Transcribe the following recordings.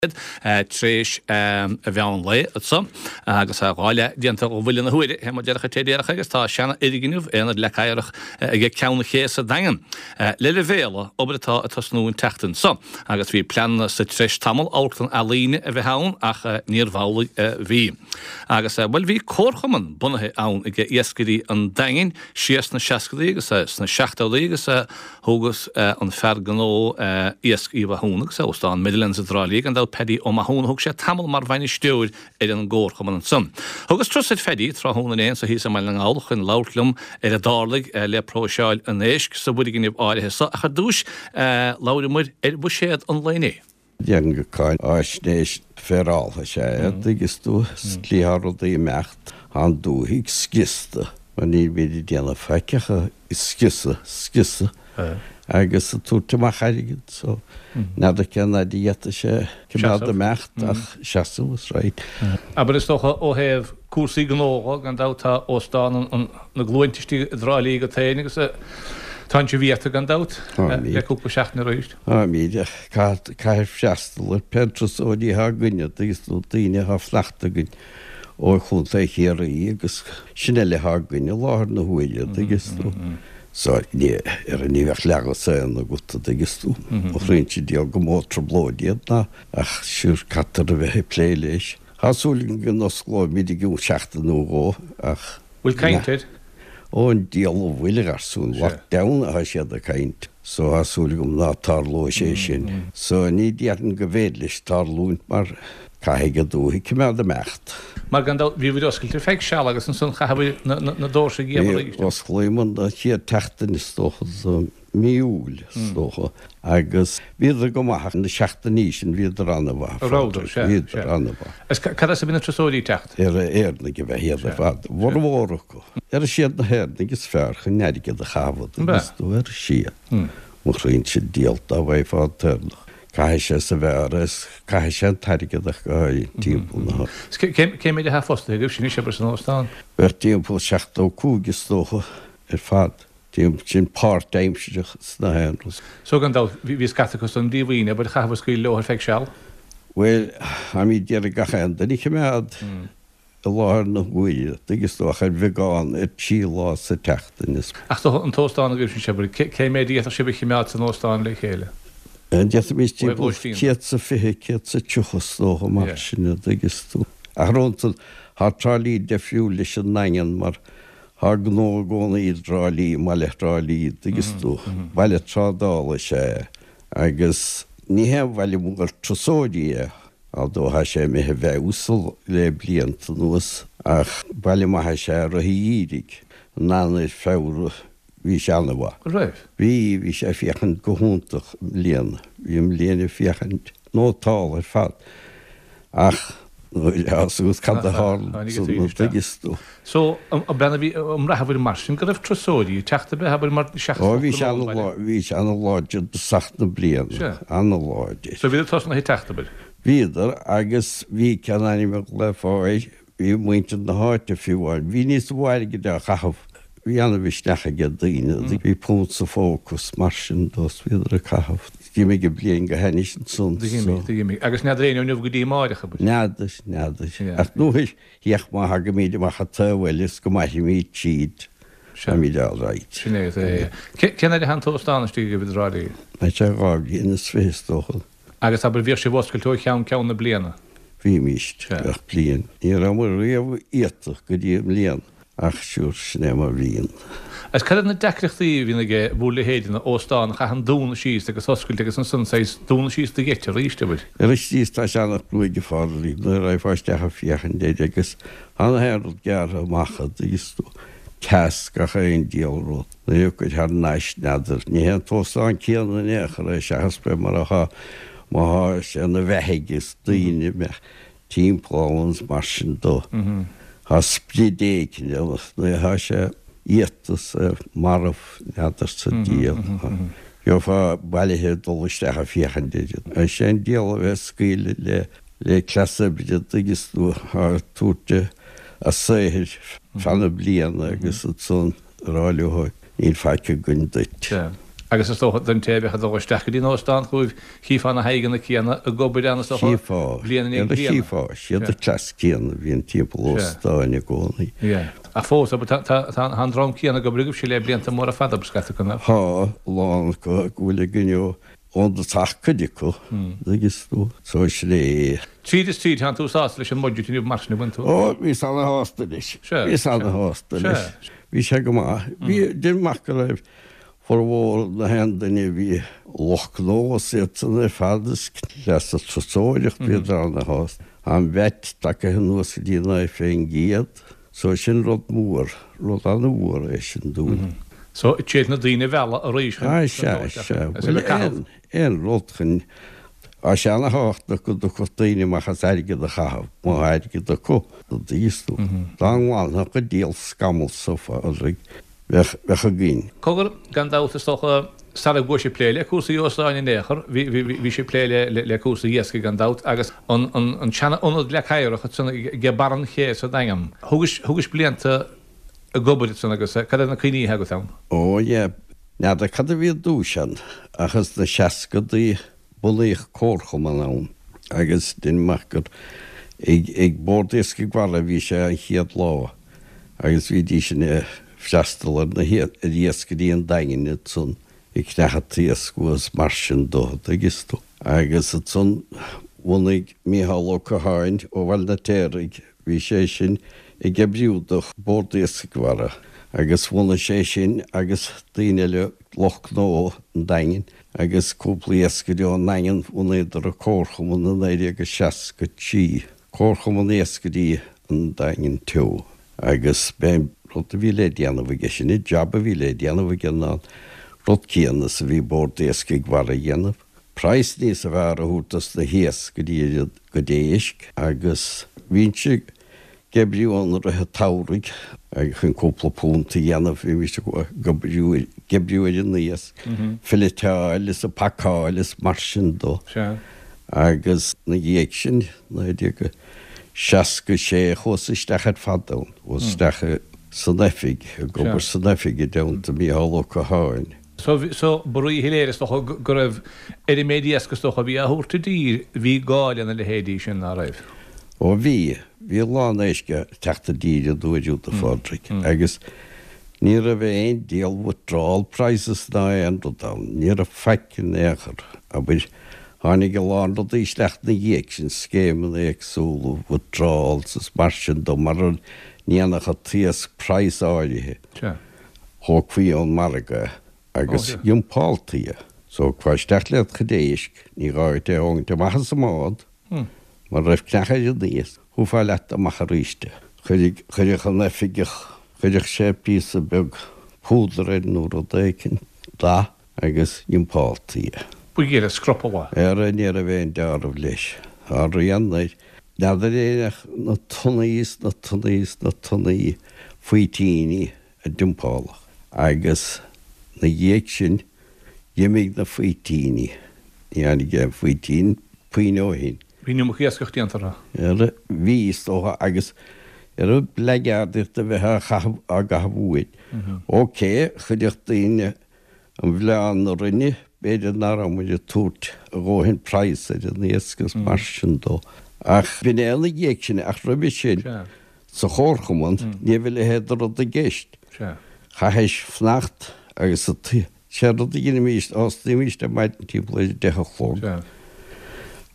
Tar éis an mheán lae anso agus 2 leath déanta ó bhuille na huaire, fé mar déarfadh an té déarfadh agus tá seana-fhoirgneamh, Aonad Leac Oighreach, aige Ceann an Ché sa Daingean le leibhéaladh, obair atá ag tosnú an tseachtain so agus bhí pleananna sa treis tamall amharclann ealaíne a bheith ann ach níorbh amhlaidh a bhí. Agus, bhuel, bhí comharchumann bunaithe ann aige iascairí an Daingin siar sna seascadaí agus sna seachtódaí agus Thógas an fear gnó iasc Uí Mhathúna agus Óstán Meadowlands i dTrá Lí, gan dabht Paddy Ó Mathúna, thug sé tamall mar bhainisteoir ar an gcomharchumann ansan. Thugas turas ar Phaddy tráthnóna inné anso thíos i mBaile na nGall chun labhairt liom ar a dtarlaigh le próiseáil an éisc sa bhfoirgneamh áirithe so ach ar dtúis labhramar ar bhuiséad an lae inné. Déarfainn gur cáinaisnéis féaráilte is ea é, an dtuigeann tú, sa tslí atá rudaí ag imeacht, tá an dúthaigh scriosta, mar nílimid ag déanamh faic ach ag scriosadh, scriosadh agus ag tabhairt amach airgead, so n'fheadar cén fhaid a d'fhéadfadh sé coimeád ag imeacht ach seasamh, is right. Abair, is dócha, ó thaobh cúrsaí gnó dho, gan dabht, tá Óstán na gCluainte istigh i dTrá Lí agat féin agus tánn sibh iata, gan dabht, le cúpla seachtain arís. Táimid, ach caithfear freastal ar pé turasóirí atá againn, an dtuigeann tú, daoine atá ag fanacht againn ó Chontae Chiarraí agus sin uile atá againn i láthair na huaire, an dtuigeann tú. So, ní, ar ní bheadh leathmhúsaen agat, an dtuigeann tú. Mo chroínse diabhal go mó trioblóid iad ná, ach sure, caithfear a bheith ag plé leis. Tá súil agam go n-osclóimid i gcionn seachtain nó dhó, ach. Bhfuil caint air? Ó an diabhal a bhfuil, a gharsúin, lockdown atá siad ag caint, so tá súil agam ná tarlóidh sé sin. So ní déarfainn go bhféidir leis tarlúint mar caithfidh an dúthaigh coimeád ag imeacht. Mar gan dabht bhíobhair oscailte ar feadh seal agus ansan chaitheabhair na doirse a dhíol arís. Osclaíomar an chéad tseachtain is dócha de mí Iúil is dócha agus bhíodar go maith ach na seachtainí sin bhíodar an-mhaith. A rabhadar, sea, sea. Bhíodar an-mhaith. Is cad as a bhí na turasóirí ag teacht? Ar Éireannaigh ab ea iad ar fad, a bhformhór acu. Ar is iad na hÉireannaigh is fearr chun airgead a chaitheamh agus tú ar siad. Mo chroínse diabhal dá bhfaighfeá an t-Éireannach. Caithfidh sé sa bheár is caithfidh sé an t-airgead ach go háirithe timpeall na. Is cé méid atá fostaithe agaibh sin anois, abair, san óstán? Bheadh timpeall 75 is dócha ar fad. Sin páirtaimsireach sna haon rud. So gan dabht, bhí scata acu san díomhaoin, abair, chaitheabhair scaoileadh leo ar feadh seal. Bhuel, táimid d'iarraidh gach aon duine a choimeád i láthair na huaire, tuigeann tú, ach ar bheagán, ar thrí lá sa tseachtain is. Ach tá an t-óstán agaibh sin, abair, cé méid a d'fhéadfadh sibh a choimeád san óstán le chéile? D'fhéadfaimis timpeall 120, 130 is dócha, mar sin, a dtuigeann tú. Ach rónta, tá Trá Lí deifriúil leis an nDaingean mar Tá gnó i gcónaí i dTrá Lí, i mbaile Thrá Lí, dtuigeann tú. Baile trádála is ea é agus ní haon bhaile mór turasóirí é, although tá sé imithe i bhfeabhas le blianta anuas, ach baile maith is ea i rith an gheimhridh. In Eanáir, Feabhra, bhí sé an-mhaith. Raibh? Bhí, bhí sé ag féachaint go hiontach i mbliana. Bhí i mbliana ag féachaint nótálta ar fad. Ach níl a fhios agat cad a tharla ansan, an dtuigeann tú. So, an mbraitheabhair mar sin go raibh turasóirí ag teacht ab ea, abair, mar seachas Ó, bhí sé ana-láidir, bhí sé ana-láidir i dtosach na bliana, Sea. ana-láidir. So bhíodar tosnaithe ag teacht, abair. Bhíodar, agus bhí cén ainm a ghlaofá air, Bhí muintir na háite fiú amháin, bhí níos mó airgid á chaitheamh, bhí ana-mhisneach ag daoine, bhí punt sa phóca is mar sin dó is bhíodar ag caitheamh. D'imigh an bliain go hainnis ansan so. D'imigh, d'imigh. Agus n'fheadar éinne ó inniu go dtí amáireach, abair. N'fheadar, n'fheadar. Ach nuair, féach má thagaimid amach an taobh eile is go mairfimid tríd, táimid all right. Sin é, é. Cén fhaid atá an t-óstán istigh agaibh i dTrá Lí? Tá sé 2 bhliain is fiche is dócha. Agus abair, bhíodh sibh oscailte ó cheann ceann na bliana? Bhímís, gach bliain. Ní rabhamar riamh iata go dtí i mbliana, ach sure, sin é mar a bhíonn. Agus cad iad na deacrachtaí a bhíonn ag bhur leithéideanna, óstán a chaitheann dúnadh síos agus oscailt agus ansan saghas dúnadh síos do gheit arís, abair? Arís tá sé an-chruaidh a Phádraig, nuair a raghfá isteach ag féachaint air agus tá na haon rud gearrtha amach an dtuigeann tú, teas gach aon diabhal rud. Nuair a thiocfaid thar n-ais, n'fheadar. Ní hé an t-óstán céanna in aon chor é, seachas b'é mar atá, má thá sé ina bheathaidh is daoine a mbeadh timpeall ann is mar sin dó. Thá sprid éicint ann ach nuair athá sé iata is marbh, n'fheadar sa diabhal. Gheofá bailithe ag dul isteach ag féachaint air. Is é an diabhal a bheith ag scaoileadh le le cleas oibre, an dtuigeann tú, ag tabhairt a saothair feadh na bliana agus ansan. a rá leo, níl faic againn duit. Sea. Agus is dócha don té a bheadh ag dul isteach go dtí an óstán chugaibh, chífeá na haghaidheanna céanna ag obair ann is dócha, Chífeá, bliain i ndiaidh bliana. Chífeá, siad an cleas céanna a bhíonn timpeall óstáin i gcónaí. Ach fós, abair, tá, tá an dream céanna ag obair agaibhse le blianta móra fada, scata acu, nach? Tá, a lán acu go bhfuil againn ó ón dtosach cuid acu, agus tú, so sin é. Tríd is tríd, tánn tú sásta leis an mbudget inniu mar sin, an bhfuil tú? Ó, bhíos ana-shásta leis. Bhíos ana-shásta leis. Bhí sé go maith. Bhí, deirim amach go raibh Formhór na haon duine a bhí lucht gnó is iadsan ar fad is cleas an turasóireacht bhíodar ana-shásta. Tá an VAT tagaithe anuas go dtí 9% so sin rud mór, rud ana-mhór é sin dúinn. So siad na daoine a mhealladh arís chun Ah sea, sea. Bhuel aon, aon rud chun, tá sé ana-thábhachtach go dtiocfadh daoine amach as airgead a chaitheamh, má tá airgead acu, an dtuigeann tú. Dá nglanfadh an diabhal scamall so a Phádraig, Bheadh, bheadh againn. Cogar, gan dabht, is dócha, sara gcuaigh sibh ag plé le cúrsaí óstáin in aon chor, bhí, bhí, bhí sibh ag plé le, le, le cúrsaí iascaigh gan dabht, agus an, an, an seana-ionad Leac Oighreach ansan ag barr an ché sa Daingean. Thugais, thugais blianta ag obair ansan agus cad iad na cuimhní atá agat ann? Ó, yeah, n'fheadar cad a bhí i dtús ann, ach sna seascadaí, Bunaíodh comharchumann ann agus deinim amach gur ag Bord Iascaigh Mhara a bhí sé an chéad lá agus bhídís ag freastal ar na ar iascairí an Daingin ansan ag ceannach an t-iasc uathu is mar sin dó, an dtuigeann tú. Agus ansan bhunaigh Mícheál Ó Catháin ó Bhaile an Fheirtéaraigh, bhí sé sin ag oibriú do Bhord Iascaigh Mhara agus bhunaigh sé sin agus daoine eile lucht gnó an Daingin agus cúpla iascaire ón nDaingean, bhunaíodar an Comharchumann i 1963, Comharchumann Iascairí an Daingin Teo. Agus b'é an rud a bhí le déanamh aige sin, an jab a bhí le déanamh aige ná an rud céanna is a bhí Bord Iascaigh Mhara a dhéanamh, praghas níosa fearr a thabhairt dos na hiascairí ar a gcuid éisc agus bhínnse ag oibriú ann i rith an tsamhraidh agus chun cúpla punt a dhéanamh bhímis ag oibriú ag oibriú ar an iasc, filleteáil is ag pacáil is mar sin dó. Agus na dhiaidh sin, 1966, chuas isteach ar fad ann, chuas isteach san oifig, ag obair san oifig i dteannta Mícheál Ó Catháin. So, so, ba ríshoiléir is dócha go raibh, ar an méid iasc is dócha a bhí á thabhairt i dtír, bhí gá lena leithéidí sin, ná raibh? Ó bhí, bhí a lán éisc ag teacht i dtír an uair úd, a Phádraig, agus ní raibh aon diabhal withdrawal prices ná aon rud ann, ní raibh faic in aon chor, abair, tháinig a lán rudaí isteach ina dhiaidh sin, scéimeanna éagsúla, withdrawals is mar sin dó, mara ndéanfadh an t-iasc praghas áirithe. Thógfaí ón margadh é agus dhumpáltaí é. So thiocfá isteach le do chuid éisc, ní gá duit é a thógaint amach as an mbád, mura raibh creach ar an iasc, thabharfá leat amach aríst é. Chuirfeadh an oifigeach, chuirfeadh sé píosa beag púdar air nó rud éicint, dath, agus dhumpáltaí é. Buidéal scrupall. Ara ní raibh aon deáramh leis. Tá rian air. N'fheadar é ach na tonnaí is na tonnaí is na tonnaí faoitíní a dumpáladh agus 'na dhiaidh sin d'imigh na faoitíní. Ní tháinig aon faoitín puinn ó shin. Bhí an iomarca iascach déanta orthu. Ara bhí, is dócha, agus ar blackguardaíocht a bheith á chaitheamh, á gcaitheamh uainn. Ok, chuirfeadh daoine An bhleán na Rinne, b'fhéidir nach raibh muid ag tabhairt a dhóthain praghas ar an iasc is mar sin dó. Ach b'in é ina dhiaidh sin, ach roimhe sin, sa chomharchumann, ní raibh a leithéid de rud i gceist. Chaithis fanacht agus sé an rud a dheinimís, thosnaímís ar maidin timpeall ar a deich a chlog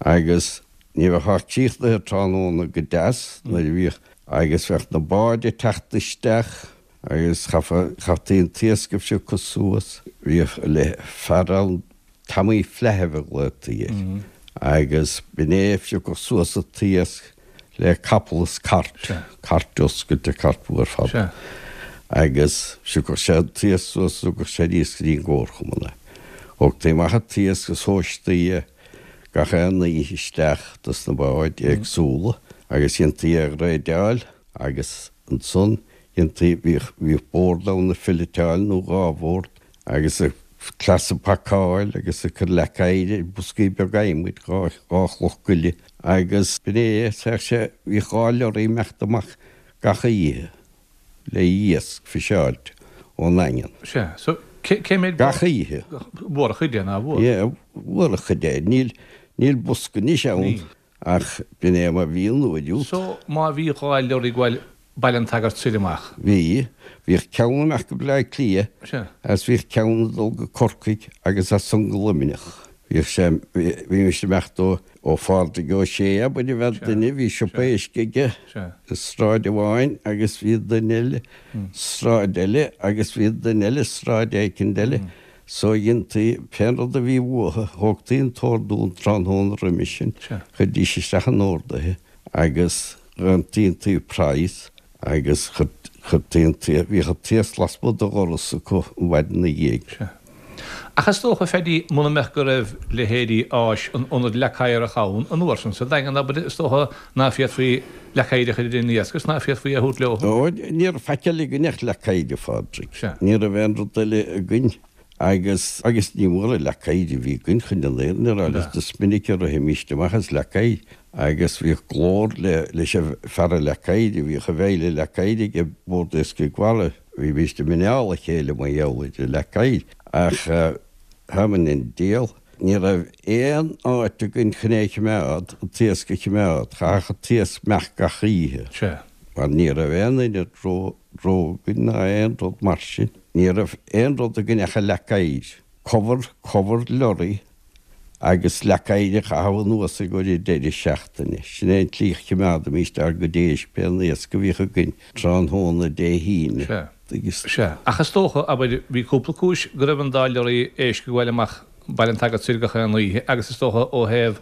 agus ní bheifeá críochnaithe tráthnóna go deas nuair a bhíodh agus bheadh na báid ag teacht isteach Agus chaithfí an t-iasc a phiocadh suas. Bhíodh fear ann, Tommy Flaithimh a ghlaotaí air, agus b'in é a phiocadh suas an t-iasc le capall is cairt, cairt oscailte, cairt mhór fada. Agus phiocadh sé an t-iasc suas is thugadh sé aníos go dtí an gcomharchumann é. Thógtaí amach an t-iasc is thomhaistaí é gach aon oíche isteach dos na báid éagsúla agus dhéantaí é a ghréideáil agus ansan Dhéantaí, bhíodh, bhíodh bord ann ag filleteáil nó dhá bhord agus ag cleas ag pacáil agus ag cur leac oighir ar boscaí beaga adhmaid, dhá, dhá chloch goile agus b'in é, bheadh sé, bhíodh dhá lorry ag imeacht amach gach oíche le iasc fiseáilte ón nDaingean. Sea, so. Cé mhéad Gach oíche. Mhór a chuid é, ná mhór? Yeah, mhór a chuid é. Níl, níl bosca anois ann ach b'in é mar bhí an uair úd. So, má bhí 2 leoraí ag gabháil Baile an tSagairt soir amach. Bhí. Bhíodh ceann ag imeacht go Bleá Cliath Sea. agus bhíodh ceann ag dul go Corcaigh agus as san go Luimneach. Bhíodh sé, bhímis ag imeacht ó, ó Phádraig Ó Sé, abair, a bheadh duine, bhí siopa éisc aige i sráid amháin agus bhí duine eile sráid eile agus bhí duine eile sráid éicint eile. So dhéantaí, pén rud a bhí uathu, thógtaí an t-ordú an tráthnóna roimis sin, chuirdís isteach an orduithe agus Dhéantaí praghas agus chuirtí an t-iasc, bhíodh an t-iasc lasmuigh de dhoras acu an mhaidin ina dhiaidh. Sea. Ach is dócha, Phaddy, muna mbeadh go raibh leithéidí áis an Ionaid Leac Oighreach ann an uair sin sa Daingean, abair, is dócha ná féadfaí leac oighir a chur ar an iasc agus ná féadfaí é a thabhairt leo. Ó, ní raibh faic eile againn ach leac oighir, a Phádraig. Sea. Ní raibh aon rud eile againn. Agus, agus ní mór an leac oighir a bhí againn chun an fhírinne a rá leat, is minic a rithimíst amach as leac oighir agus bhíodh glór le, leis an fear an leac oighir, bhíodh an bhfeidhil leac oighir ag Bord Iascaigh Mhara, bhímíst ag mineáil a chéile mar gheall ar an leac oighir. Ach, th'am in an diabhal, ní raibh aon áit againn chun é a chimeád, an t-iasc a chimeád, chaithfeadh an t-iasc imeacht gach oíche. Sea. Mar ní raibh aon ionad ró, ró againn ná aon rud mar sin. Ní raibh aon rud againn ach an leac oighir. Cover, cover lorry agus leac oighir a chaitheamh anuas i gcomhair an deireadh seachtaine. Sin é an tslí a chimeádaimíst ár gcuid éisc, pé an iasc a bhíodh againn tráthnóna Dé hAoine. Sea. Sea. Ach is dócha, abair, bhí cúpla cúis go raibh an dá leoraí éisc ag gabháil amach Baile an tSagairt soir gach aon oíche agus is dócha ó thaobh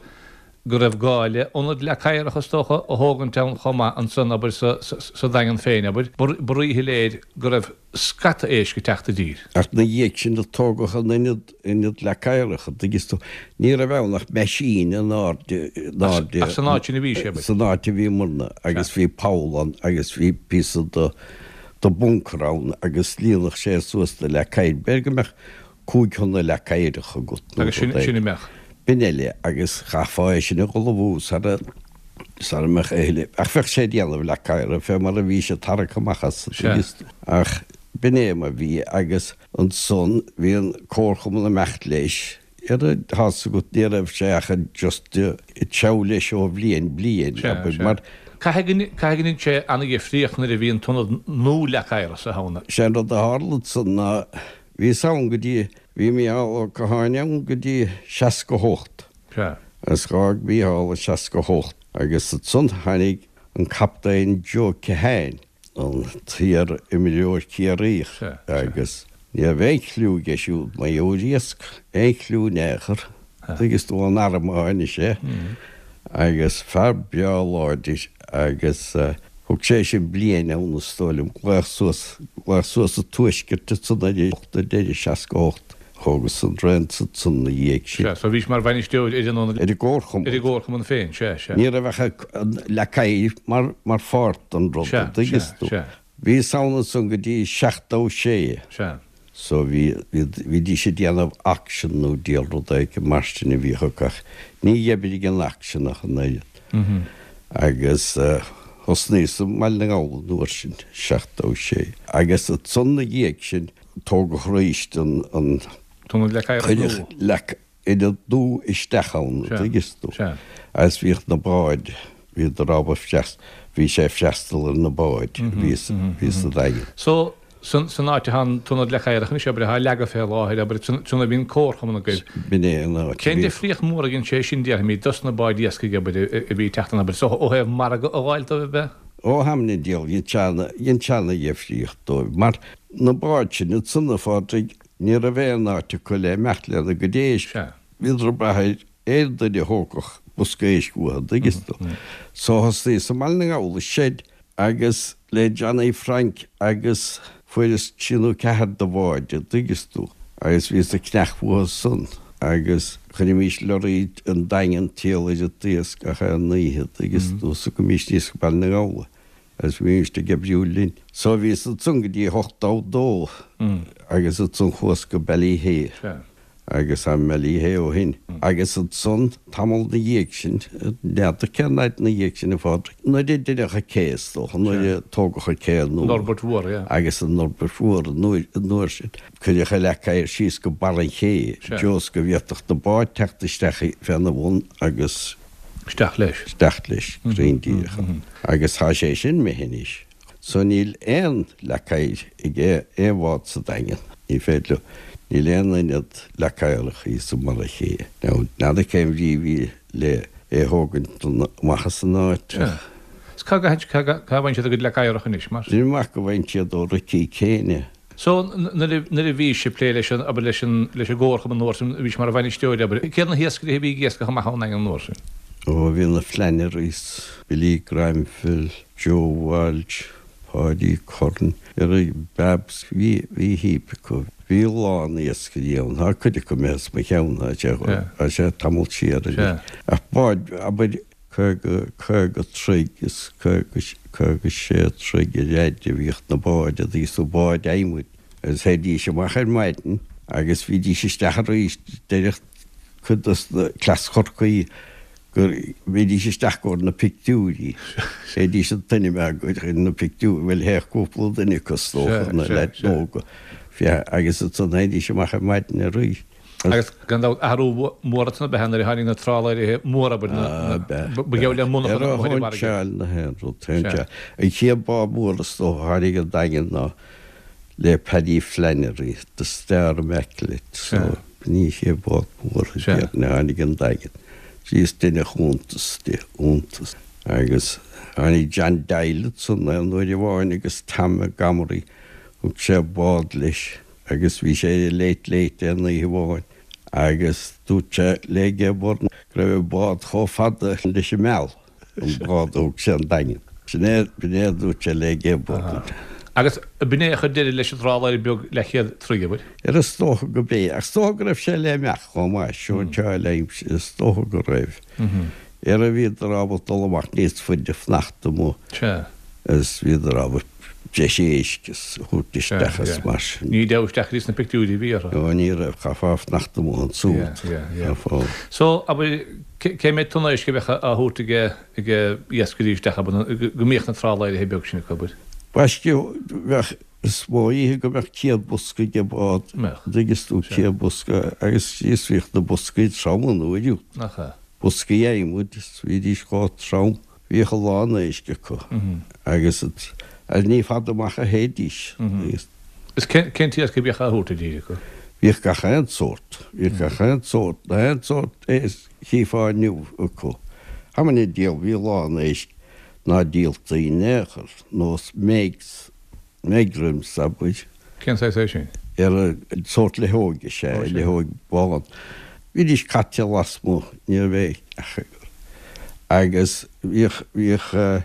go raibh gá le ionad leac oighreach is dócha a thógaint ann chomh maith ansan, abair, sa Daingean féin, abair. Ba ríshoiléir go raibh scata éisc ag teacht i dtír. Ach na dhiaidh sin a tógadh an ionad, ionad leac oighreach, an dtuigeann tú. Ní raibh ann ach meaisín in airde, in airde. Ach san áit sin a bhí sé, abair. San áit a bhíomarna agus bhí poll ann agus bhí píosa de, de bunker ann agus líonadh sé suas de leac oighir. B'fhéidir go mbeadh 5 thonna leac oighreach agat nó Agus sin, sin a mbeadh. B'in eile, agus chaithfeá é sin a dh'ullmhú sara, sara mbeadh a thuilleadh, ach bheadh sé ag déanamh leac oighre fé mar a bhí sé tarraicthe amach as, an Sea. dtuigeann tú. Ach b'in é mar bhí, agus ansan bhí an comharchumann ag imeacht leis, ar a, tá's agat, ní raibh sé ach just ag treabhadh leis ó bhliain bliain, Sea, abair, sea. mar. Caithfidh go, caithfidh go ndein sé ana-dhifríocht nuair a bhí an t-ionad nua leac oighre sa ann. Sé an rud a tharla ansan ná Bhíos ann go dtí, bhí Mícheál Ó Catháin ann go dtí 68. Sea. Agus dh'fhág Mícheál i 68 agus ansan tháinig an Captaen Joe Keohane, an t-iar-imreoir Ciarraíoch Sea, sea. agus ní raibh aon chliú aige siúd mar gheall ar iasc, aon chliú in aon chor, tuigeann tú, ón arm a tháinig sé agus fear breá láidir agus thug sé sin bliain ann is dóigh liom, glaodh suas, glaodh suas sa tuaisceart ansan ar ag deireadh 68, thógas an raon ansan ina dhiaidh sin. Sea, so bhís mar bhainisteoir ar an, Ar an gcomharchumann. Ar an gcomharchumann féin, sea, sea. Ní raibh ach an leac oighir mar, mar pháirt den rud, Sea, an dtuigeann sea, tú. sea. Bhíos ann ansan go dtí 76. Sea. So bhí, bhí, bhídís ag déanamh auction nó diabhal rud éigin mar sin a bhíodh acu ach ní oibrigh an auction ach an oiread. Agus thosnaíos i mBaile na nGall an uair sin, 76. Agus ansan 'na dhiaidh sin tógadh aríst an, an, Ionad leac oighreach cuireadh nua. leac ionad nua isteach ann, an dtuigeann tú. Sea. Agus bhíodh na báid, bhíodar ábalta freastal, bhí sé ag freastal ar na báid a bhí bhí sa Daingean. So, san, san áit atá an t-ionad leac oighreach anois, abair, atá leagtha fé láthair, abair, san a bhí an comharchumann agaibh. B'in é an áit a Cén bhí. difríocht mhór a dhein sé sin, déarfaimid, dos na báid iascaigh, abair, a bhí ag teacht ann, abair, so ó thaobh margadh a dh'fháil dóibh, ab ea? Ó th'am 'na diabhal, dhein sé ana, dhein sé ana dhifríocht dóibh, mar na báid sin ansan, a Phádraig, Ní raibh aon áit acu le imeacht lena gcuid éisc. Bhíodar ag brath ar aon duine a thógfadh bosca éisc uathu, an dtuigeann tú. So thosnaíos i mBaile na nGall i seid agus le Johnny Frank agus fuaireas trí nó ceathair de bháid, an dtuigeann tú. Agus bhíos ag ceannach uathu san agus chuirimís lorraí an Daingean triall ar an t-iasc gach aon oíche, an dtuigeann tú, is thugaimis aníos go Baile na nGall é. Agus bhímist ag oibriú linn. So bhíos ansan go dtí 82 agus ansan chuas go Ballyhea. Agus tá i mBaile Uí Shé ó shin. Agus ansan, tamall 'na dhiaidh sin, n'fheadar cén fhaid 'na dhiaidh sin, a Phádraig, nuair a deineadh an cé, is dócha, nuair a tógadh an cé nua. An fhorbairt mhór, yeah. Agus an fhorbairt mhór an uair, an uair sin, cuireadh an leac oighir síos go barr an ché, fós go bhféadfadh na báid teacht isteach féna bhun agus. Isteach leis. Isteach leis, cruinn díreach. Agus tá sé sin imithe anois. So níl aon leac oighir ag aon bhád sa Daingean. Ní féidir leo, níl aon ionad leac oighreach thíos i mbarr an ché. Now, n'fheadar cén bhrí a bhí le é a thógaint amach as an áit ach. Is cá bhfaigheann siad a gcuid leac oighreach anois, mar? Deinim amach go bhfaigheann siad ó Ricí Kane é. So, nuair a bhís ag plé leis an, abair, leis an, leis an gcomharchumann an uair sin, bhís mar bhainisteoir, abair, céard na hiascairí a bhí ag iascach amach ón nDaingean an uair sin? Ó, bhí na Flannerys, Billy Granville, Joe Walsh, Páidí Curran, ar Babs, bhí, bhí heap acu. Bhí a lán iascairí ann, tá cuid acu imithe as mo cheann, tá sé, tá sé tamall siar anois. Ach báid, abair, 50, 50 troigh is 50, 56 troigh ar fhaid a bhíodh na báid a bhí sna báid adhmaid agus théidís amach ar maidin agus bhídís isteach arís deireadh cuid dos na cleas Chorcaí go mbídís isteach gcomhair na pictiúirí. Théidís an t-ainm acu na pictiúirí, bhuel théadh cúpla duine acu is dócha, na leaids óga, agus ansan théidís amach ar maidin arís. Agus gan dabht athrú mór ansan ab ea nuair a tháinig na trálaeirí móra, abair, na, ba gheall le monarchan amuigh ar an bhfarraige. Ar na haon rud, sea. An chéad bád mór is dócha a tháinig an Daingean ná le Paddy Flannery, The Star Immaculate, so b'in í an chéad bád mór a tháinig an Daingean. Is deineadh iontas de, iontas. Agus tháinig John Doyle ansan aon uair amháin agus Tom Montgomery, thug sé bád leis. Agus bhí sé ar an Late Late aon oíche amháin agus dúirt sé le Gay Byrne go raibh an bád chomh fada leis an meall, an bád a thug sé 'on Daingean. Sin é, b'in é a dúirt sé le Gay Byrne. Agus b'in é a chuir deireadh leis an dtrálaer beag leathchéad troigh, abair? Ar is dócha go b'é, ach is dócha go raibh sé le imeacht chomh maith, sóinseáil aimsir, is dócha go raibh. Ar a bhíodar ábalta dul amach níos faide fanacht amuigh. Sea. Is bhíodar ábalta breis éisc a thabhairt isteach is mar sin. Ní deabhadh isteach go dtí sna pictiúirí a bhí orthu. Ó ní raibh, chaithfeá fanacht amuigh ansúd. Chaithfeá. So, abair, cé mhéad tonna éisc a bheadh á thabhairt ag ag iascairí isteach, abair, go mbíodh na trálaeirithe beag sin acu, abair? Baiste, bheadh, is mó oíche go mbeadh 100 bosca ag bád, dtuigeann tú, 100 bosca agus is bhíodh na boscaí trom an uair úd. Nach ea? Boscaí adhmaid is bhídís chomh trom. Bhíodh a lán éisc acu agus ní fada amach a théidís. Is cén t-iasc a bhíodh á thabhairt i dtír acu? Bhíodh gach aon sórt. Bhíodh gach aon sórt, na haon sórt éisc a chífeá inniu acu. How many diabhal, bhí a lán éisc ná díoltaí in aon chor, nós megs, Megrims, abair. Cén saghas é sin? Ar sórt leitheoige is ea, leitheoig bán. Bhídís caite lasmuigh, ní raibh aon each acu. Agus bhíodh, bhíodh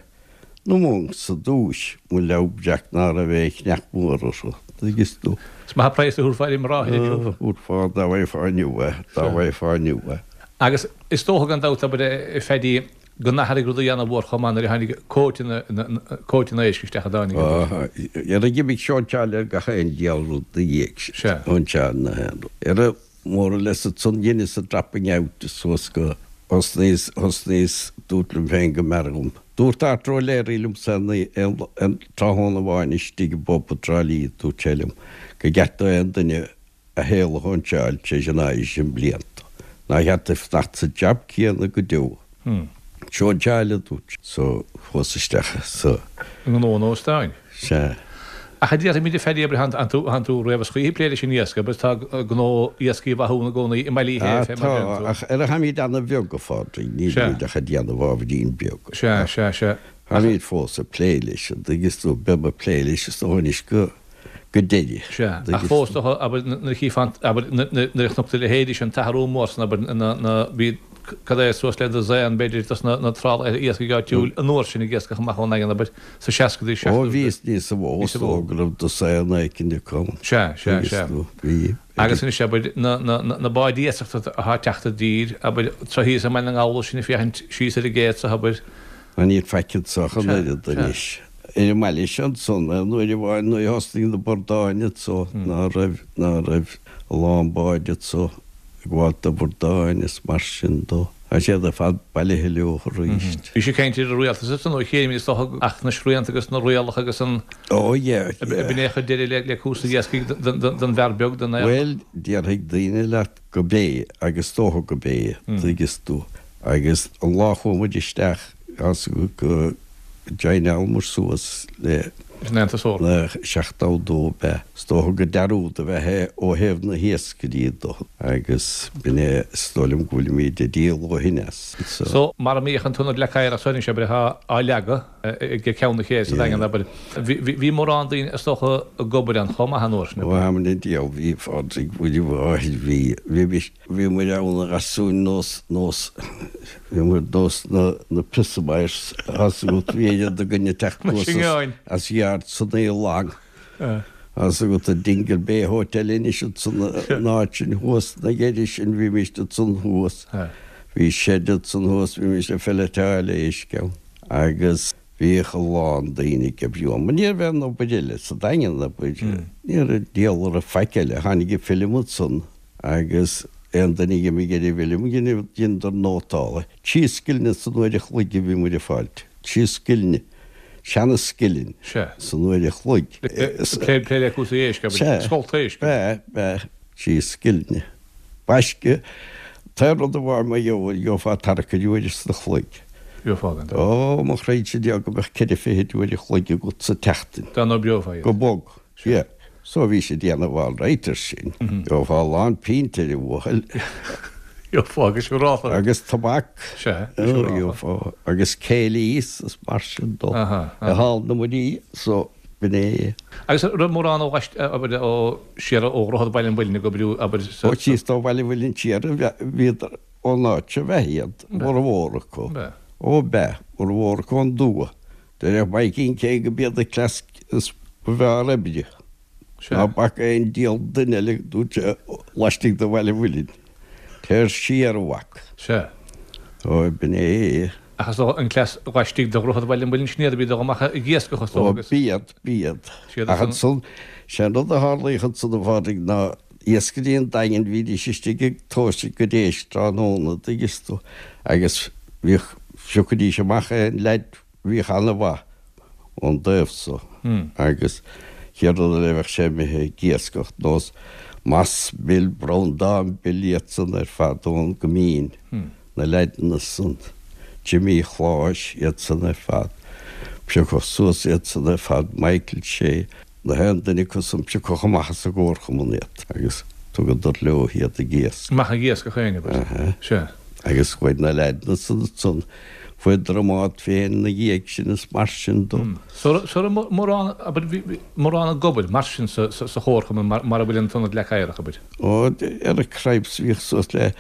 na monks ar dtúis, mo leabhar breac ná raibh aon chneach mór orthu, tuigeann tú. Is maith an praghas a thabharfá ar an mbráthair inniu. Thabharfá dá bhfaighfeá inniu é, dá bhfaighfeá inniu é. Agus is dócha gan dabht, abair, a Phaddy, go n-athraigh rudaí ana-mhór chomh maith nuair a tháinig cóiteanna éisc isteach a dtáinig abair. Ar d'imigh sóinseáil ar gach aon diabhal rud 'na dhiaidh sin. Sea. Sóinseáil na haon rud. Ar a more or less ansan dheineas an dropping out suas go thosnaíos, thosnaíos, dúrt liom féin go mb'fhearr dhom. Dúirt Arthur O'Leary liomsa aon aon tráthnóna amháin istigh i bpub i dTrá Lí, dúirt sé liom go gceart do aon duine a shaol a shóinseáil tar éis an aois sin blianta. Nár cheart duit fanacht sa jab céanna go deo. Sóinseáil, a dúirt sé. So, chuas isteach sa. ngnó an óstáin. Sea. Ach a déarfaimid a Phaddy, abair, thánn tú riamh is choíche ag plé leis an iasc, abair, tá gnó Iascaigh Mhathúna i gcónaí i mBaile Uí Shé, fé mar a deireann tú. Tá, ach ar a tháimid ana-bheag, a Phádraig, nílimid ach ag déanamh ábhairín beag. Sea, sea, sea. Táimid fós ag plé leis, an dtuigeann tú, beidh mé ag plé leis is dócha anois go. go deireadh. Sea, ach fós, abair, nuair a chífeá an, abair, nuair a chonac tú a leithéidí sin, an t-athrú mór san, abair, na, na, bhí, cad é, suas le dosaen, b'fhéidir, dos na, na trálaeir iascaigh áitiúil an uair sin ag iascach amach ón nDaingean, abair, sa seascadaí, Ó, seachtóidí. bhí níos mó, is dócha go raibh dosaen éicint acu. Sea, sea, sea. Bhí. Agus anois, abair, na, na, na báid iasachta atá ag teacht i dtír, abair, anseo thíos i mBaile na nGall sinn ag féachaint síos ar an gcé anseo, abair. Ná níl faic anseo ach an oiread anois. Ar an mbaile seo ansan, aon uair amháin nuair a thosnaigh na bordáin anso, ná raibh, ná raibh a lán báid anso. ag gabháil d'Obardáin is mar sin dó. Tá siad ar fad bailithe leo arís. Bhí sé ag caint ar an rialtas ansan ó chéim is dócha ach na srianta agus na rialacha agus an Ó yeah, yeah. B'in é a chuir deireadh le cúrsaí iascaigh don bhfear beag, don fhear. Bhuel, déarfaidh daoine leat go b'é agus is dócha go b'é, tuigeas tú. Agus an lá a chuaigh muid isteach, go joineálamar suas le Leis an Aontas Eorpach. na 72 ab ea. Is dócha go dearúd a bheith é ó thaobh na hiascairí do agus b'in é is dóigh liom go bhfuilimid ag díol ó shin as. So, mar a mbíodh an t-ionad Leac Oighir as anois, abair, atá á leagadh ag Ceann na Cé sa Daingean, abair, bhí mórán daoine is dócha ag obair ann chomh maith an uair sin, Ó am an diabhal bhí, a Phádraig, bhí, bhí, bhí, Bhí muid ann a ghasúin nós, nós, bhí muid nós na, na prisoners, tá's agat, bhí oiread againn ag teacht Na anuas as, singeáin. as yard san Aodh Long. Tá's agat, an Dingle Bay Hotel anois ansan, an áit sin thuas, na deireadh sin, bhímist ansan thuas. Bhí shed ansan thuas, bhímist ag filleteáil éisc ann. Agus bhíodh a lán daoine ag oibriú ann. Mar ní raibh aon obair eile sa Daingean, abair, ní raibh diabhal a raibh faic eile. Tháinig an film ansan. Agus aon duine a dh'imigh ar an bhfilm, dheineadar nótáil. Trí scilne san uair a chloig a bhí muid ag fáilt. Trí scilne. Seana-scilin. Sea. San uair a chloig. Plé, plé le cúrsaí éisc, abair. Sea. Scolta éisc. B'ea, b'ea. Trí scilne. Baisce, an t-aon rud amháin mar gheofá, gheofá tarrac uair sa chloig. Gheofá gan dabht. Ó, mo chroíse Dia go mbeadh ceithre fichid uair a chloig agat sa tseachtain. Dá n-oibreofá iad. Go bog. Sea. So bhí sé ag déanamh all right ar sin. Gheofá a lán pínte ar an bhuachaill. Gheofá agus siúrálta. Agus tobac. Sea, siúrálta. Gheofá. Agus céilís is mar sin dó. Aha. I Hall na Muirí, so b'in é. Agus an raibh mórán ó ghaist, abair, ó siar ó Dhroichead Bhaile an Mhuilinn ag oibriú, abair, sa. Ó síos ó Bhaile an Mhuilinn siar, bhíodar ón áit seo b'ea iad, mórmhór acu. B'ea. Ó b'ea, mórmhór acu ón dtuath. Deireadh Maidhcín cé go b'iad an cleas is ba bhfearr oibre. Ná bac aon diabhal duine eile dúirt sé laistigh de Bhaile an Mhuilinn. Téir siar a mhac. Sea. Ó b'in é é. Ach is dócha an cleas laistigh de Dhroichead Bhaile an Mhuilinn sin iad a bhí ag dul amach ag iascach is dócha Ó agus. b'iad, b'iad. Siad Ach ansan. ansan, sé an rud a tharlaíodh ansan a Phádraig ná iascairí an Daingin bhídís istigh ag tomhas a gcuid éisc tráthnóna an dtuigeas tú agus bhíodh, phiocaidís amach aon leaid Bhíodh ana-mhaith ón dtaobh so agus chéad rud eile bheadh sé imithe ag iascach nós Moss Bill, Breandán Bill iad san ar fad ón gCoimín, na leaideanna san, Jimí Chláis, iad san ar fad. Piocadh suas iad san ar fad, Michael Shea. Na haon duine acu san piocadh amach as an gcomharchumann iad agus tugadar leo iad ag iasc. Amach ag iascach féin, abair. Sea. Agus chuaigh na leaideanna san ansan, fuaireadar a mbád féin ina dhiaidh sin is mar sin dó. So raibh mórán, abair, bhí mórán ag obair mar sin sa chomharchumann mar a bhfuil an tIonad Leac Oighreach, abair. Ó, ar an cripes bhíodh suas le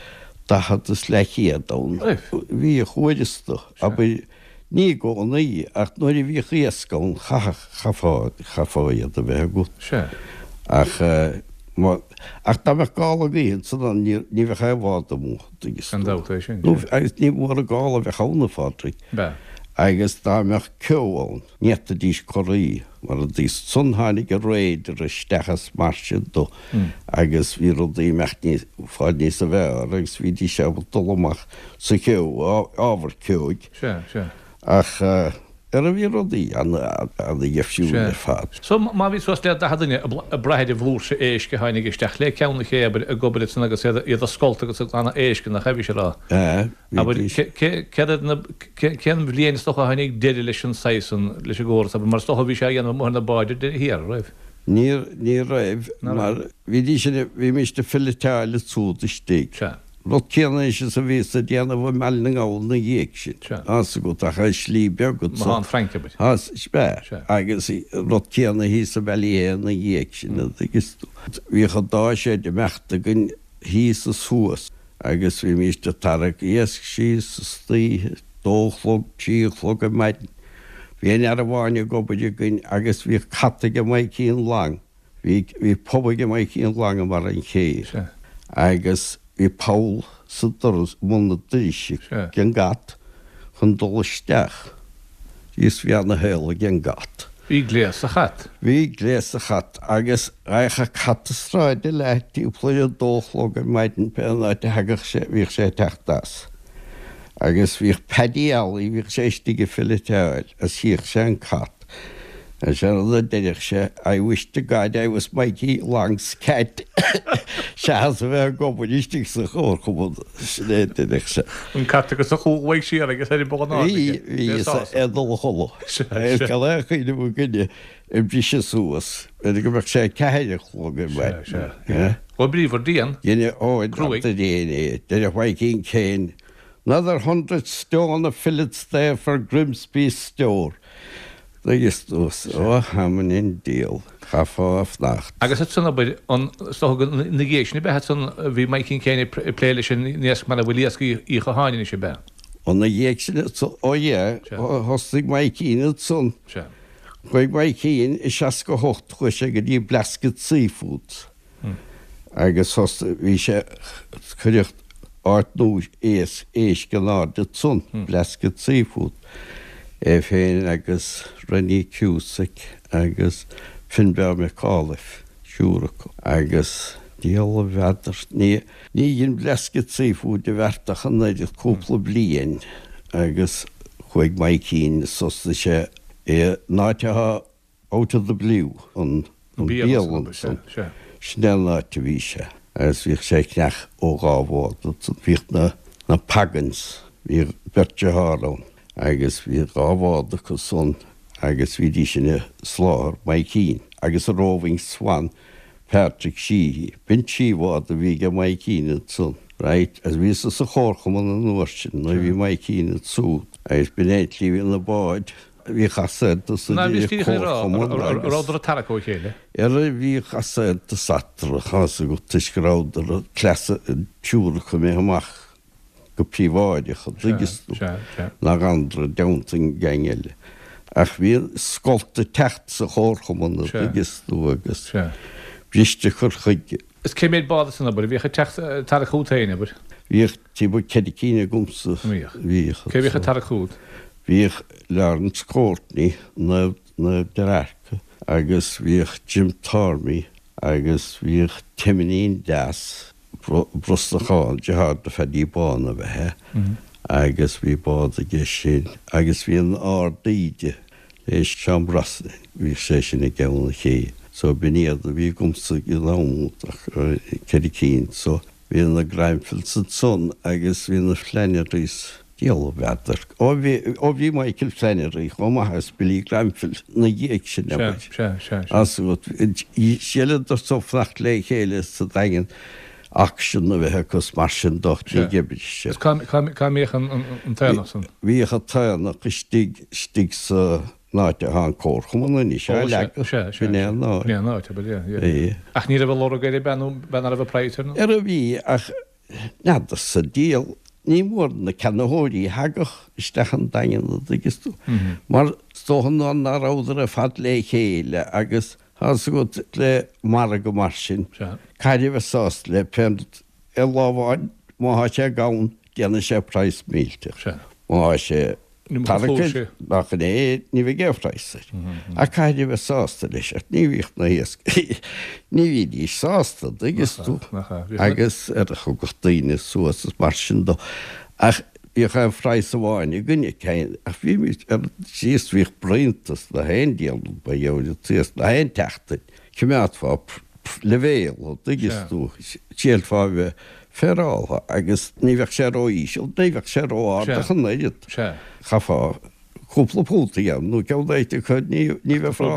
40 is leathchéad ann. Bhíodh uaireanta, abair, Ní i gcónaí, ach nuair a bhíodh iasc ann chaithfeadh, chaithfeá, chaithfeá iad a bheith agat. Sea. Ach má, ach dá mbeadh gála gaoithe ansan ann ní, ní bheadh aon bhád amuigh, tuigeas Gan tú. dabht é sin, Nó, sea. agus ní mór an gála a bheadh ann, a Phádraig. B'ea. Agus dá mbeadh ceo ann, ní fhéadfaidís corraí, mar a dtuigeas. Ansan tháinig an radar isteach is mar sin dó agus bhí rudaí imeacht níos, fáil níosa bhfearr agus bhídís ábalta dul amach sa cheo, ábhar ceoigh. Sea, sea. Ach ara bhí rudaí ana-dheifriúil ar fad. So, má bhí suas le 40 duine ag brath ar an bhflúirse éisc a tháinig isteach le Ceann na Cé, abair, ag obair ansan agus iad ag scolt agus ag glanadh éisc, nach ea, bhí sé a rá. Sea, Abair, bhídís. céard iad na, cén bhliain is dócha a tháinig deireadh leis an saghas san, leis an gcóras, abair, mar is dócha bhí sé á dhéanamh amuigh ar na báid ar deireadh thiar, an raibh? Ní, ní raibh, Ná raibh. mar bhídís, bhímist ag filleteáil ansúd istigh. Sea. Rud céanna anois is a bhíos ag déanamh i mBaile na nGall ina dhiaidh sin. Sea. Tá's agat, ach ar shlí beag anso. Machaire an Fhrainc, abair. Tá, sea. Sea. Agus rud céanna thíos i Ballyhea ina dhiaidh sin, an dtuigeas tú. Bhíodh an dá sheid ag imeacht againn thíos is thuas agus bhímíst ag tarrac iasc síos istoíche, dó a chlog, trí a chlog ar maidin. Bhí aon fhear amháin ag obair againn agus bhíodh cat aige Maidhcín Long. Bhí, bhí pub aige Maidhcín Long i mbarra an ché agus bhí poll sa doras, i mbun an doiris ag an gcat chun dul isteach. Is bhí ana shaol ag an gcat. Bhí gléas sa chat. Bhí gléas sa chat agus raghadh cat na sráide leath timpeall ar a dó a chlog ar maidin pé an áit a thagadh sé, bhíodh sé ag teacht as. Agus bhíodh Paddy Alley, bhíodh sé istigh ag filleteáil agus chíodh sé an cat. Agus sé an rud a deireadh sé, I wish to God I was Mikey Long's cat seachas a bheith ag obair istigh sa chomharchumann. Sin é a deireadh sé. An cat agus a chúl uaidh siar agus ar an bpobal an Bhí, bhí, is é dul a chodladh. Is gan aon chuimhneamh ag duine ag briseadh suas, b'fhéidir go mbeadh sé a ceathair a chlog ar maidin. Sea, sea. Ó bríomhar dian. Duine óg Cruaidh. de réir é. Deireadh Mhaidhcín Kane, Another hundred stone of fillets there for Grimsby's store. Agus tú, ó, thamann an diabhal, chaithfeá a fanacht. Agus ansan abair, an, is dócha go, ina dhiaidh sin ab ea ansan a bhí Maidhcín Kane ag plé leis an iasc mar a bhfuil iasc Uí Chatháin anois ab ea? Ina dhiaidh sin ansan, ó yeah, thosaigh Maidhcín ansan. Sea. Chuaigh Maidhcín i 68, chuaigh sé go dtí Blasket Seafoods. Agus thosaigh, bhí sé, cuireadh áit nua éisc, éisc in airde ansan, Blasket Seafood, é féin agus Rennie Cusack agus Finbarr McAuliffe, triúr acu. Agus diabhal a bhfeadar, ní, ní dhein Blasket Seafood a bheart ach an oiread, cúpla bliain agus chuaigh Maidhcín, thosaigh sé i an áit atá Out of the Blue, an bialann san, sin é an áit a bhí sé agus bhíodh sé ag ceannach ó dhá bhád ansan. Bhíodh na na Pagans, bhíodh beirt dearthár ann agus bhí dhá bhád acu san agus bhídís sin ag soláthar Maidhcín agus an Roving Swan Patrick Sheehy. B'in trí bhád a bhí aige Maidhcín ansan, right, agus bhíos-sa sa chomharchumann an uair sin nuair a bhí Maidhcín ansúd agus b'in é an tslí a bhí na báid Bhíodh easaontas idir comharchumann agus. An rabhadar ag tarrac ó chéile? Ara bhíodh easaontas eatarthu, tá 'fhios agat, toisc go rabhadar cleasa an triúr acu imithe amach go príobháideach, an dtuigeann tú, nach fhanadar i dteannta an gang eile. Ach bhí scoilt ag teacht sa chomharchumann, an dtuigeann tú, agus briste cur chuige. Is cé mhéad bád ansan abair a bhíodh ag teacht ag tarrac chugat féin, abair? Bhíodh timpeall ceithre cinn agamsa. Bhíodh. Bhíodh. Cé bhíodh ag tarrac chugat? Bhíodh Lawrence Courtney, Naomh Naomh Dearca, agus bhíodh Jim Tormey agus bhíodh Timinín Deas, Brosnachán, deartháir do Phaddy Bán ab ea é, agus bhí bád aige sin agus bhí an Ard Íde le Seán Brosnan, bhíodh sé sin i gCeann an Ché. So b'in iad a bhí agamsa ag an am úd ach ceithre cinn. So bhí na Grenfell's ansan agus bhí na Flannerys. Diabhal a bhfeadar. Ó bhí, ó bhí Michael Flannery chomh maith agus Billy Grenfell 'na dhiaidh sin, abair. Sea, sea, sea. As shíleadar so fanacht le chéile sa Daingean auction a bheith acu is mar sin de ní d'oibrigh sé. Is cá, cá, cá mbíodh an, an, an t-aonach san? Bhíodh an t-aonach istigh, istigh sa áit atá an comharchumann anois, á leagadh. Sea, sea, B'in é an áit. B'in é an áit, abair, yeah, yeah. Yeah. Ach ní raibh a lorg air, ab ea, nó ab ea nach raibh an praghas air nó? Ara bhí, ach N'fheadar sa diabhal, ní mór na ceannaitheoirí a thagadh isteach an Daingean an dtuigeann tú, mar is dócha ná ná rabhadar ar fad le chéile agus tá 'fhios agat le margadh mar sin, caithfidh a bheith sásta le pé rud ar lá amháin má thá sé gann déanfaidh sé praghas millteach, má thá sé Tarrac nach in é, ní bheidh aon phraghas air. Ach caithfidh a bheith sásta leis, ach ní bhíodh na hiascairí, ní bhídís sásta, an dtuigeann tú, agus ar a thugadh daoine suas is mar sin dó. Ach bhíodh aon phraghas amháin againne, ach bhímid ar síos, bhíodh braonta sna haon diabhal ba gheobhaidh an t-iasc na haon tseachtain, choimeádfá leibhéal, an dtuigeann tú, shílfeá a bheith féaráilte agus ní bheadh sé ró-íseal, ní bheadh sé ró-ard ach an oiread. Chaithfeá cúpla punt a dhéanamh nó ceann éigin acu, ní bheifeá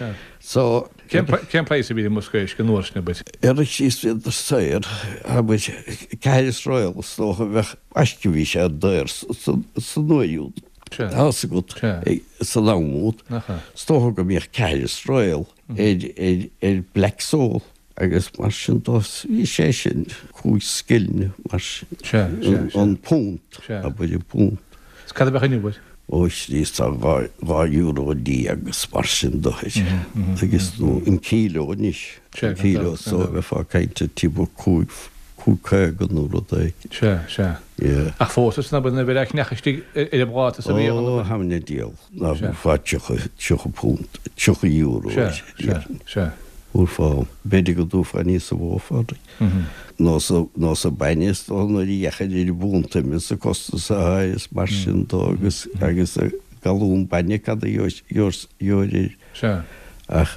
ann. So. Cén praghas a bhí ar an mbosca éisc an uair sin, abair? Ar síos bhíodar saor, abair, ceathair is royal is dócha a bheadh, aisce bhí sé daor san uair úd. Tá 'fhios agat, san am úd, is dócha go mbíodh ceathair is royal ar black sole. Agus mar sin dó, bhí sé sin cúig scilling mar sin, an punt, abair an punt. Is cad a bheadh inniu air? Ó Chríost, tá 12 euro agus mar sin dó air. Agus nó an kíló anois, an kíló so bheifeá ag caint ar timpeall cúig, 5.50 nó rud éigin. Sea, sea. Yeah. Ach fós is nuair a bheadh cneach istigh ar an bpláta sa bhíodh an. Ó, thaimne diabhal, ná bhuafá 30, 30 punt, 30 euro air. Sea, sea, sea. Bhuafá, b'fhéidir go dtabharfá níosa mhó Phádraig. Nó sa, nó sa bainne is dóigh nuair a dheachair ar an bpunt ime sa costas atá air is mar sin dó agus, agus galún bainne cad a gheobhair air. Sea. Ach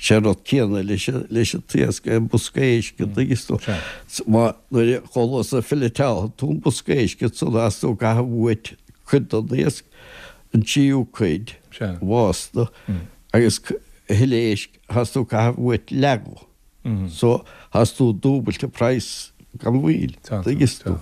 sé an rud céanna leis an, leis an t-iasc, an bosca éisc an dtuigeann tú. Sea. Má, nuair a chomh luath is a filleteálfaidh tú an bosca éisc ansan thás tú ag caitheamh uait cuid den iasc, an tríú cuid, Sea. bhásta, agus a thuilleadh éisc, thás tú ag caitheamh uait leath dho. So, thás tú dúbailte praghas gan mhoill, dtuigeann tú.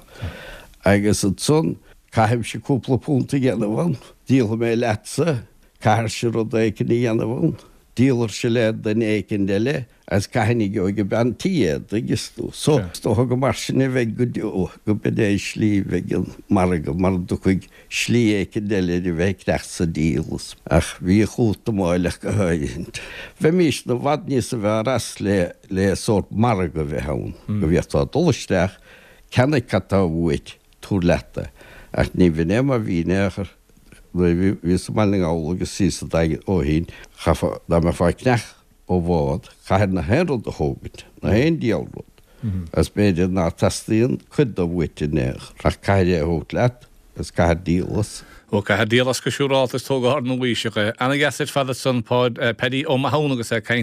Agus ansan, caithfimse cúpla punt a dhéanamh ann, díolfaidh mé leatsa, Caithfirse rud éicint a dhéanamh ann. Díolfairse le duine éicint eile agus cathain a gheobhaidh an bean tí é, dtuigeas tú. So, is dócha gur mar sin a bheidh go deo, go b'in é an slí a bheidh an margadh, mara dtiocfaidh slí éicint eile ar a bheith ag teacht sa díol. Ach bhíodh útamáil ach go háirithint. Bheimísne i bhfad níosa bhfearr as le, le sórt margadh a bheith ann, go bhféadfá dul isteach, ceannaigh cad tá uait, tabhair leat é. Ach ní bh'in é mar bhí in aon chor. Nuair a bhíos i mBaile na nGall agus síos sa Daingean ó shin, chaithfeá, dá mbeifeá ag cneach ó bhád, chaithfir na haon rud a thógaint, na haon diabhal rud. Agus b'fhéidir ná teastaíonn cuid de uait in aon chor, ach caithfir é a thabhairt leat agus caithfir díol as. Ó, caithfir díol as go siúrálta is tógáil nua-aoiseach é. Ana-dheas ar fad ansan, Paddy Ó Mathúna agus é ag caint.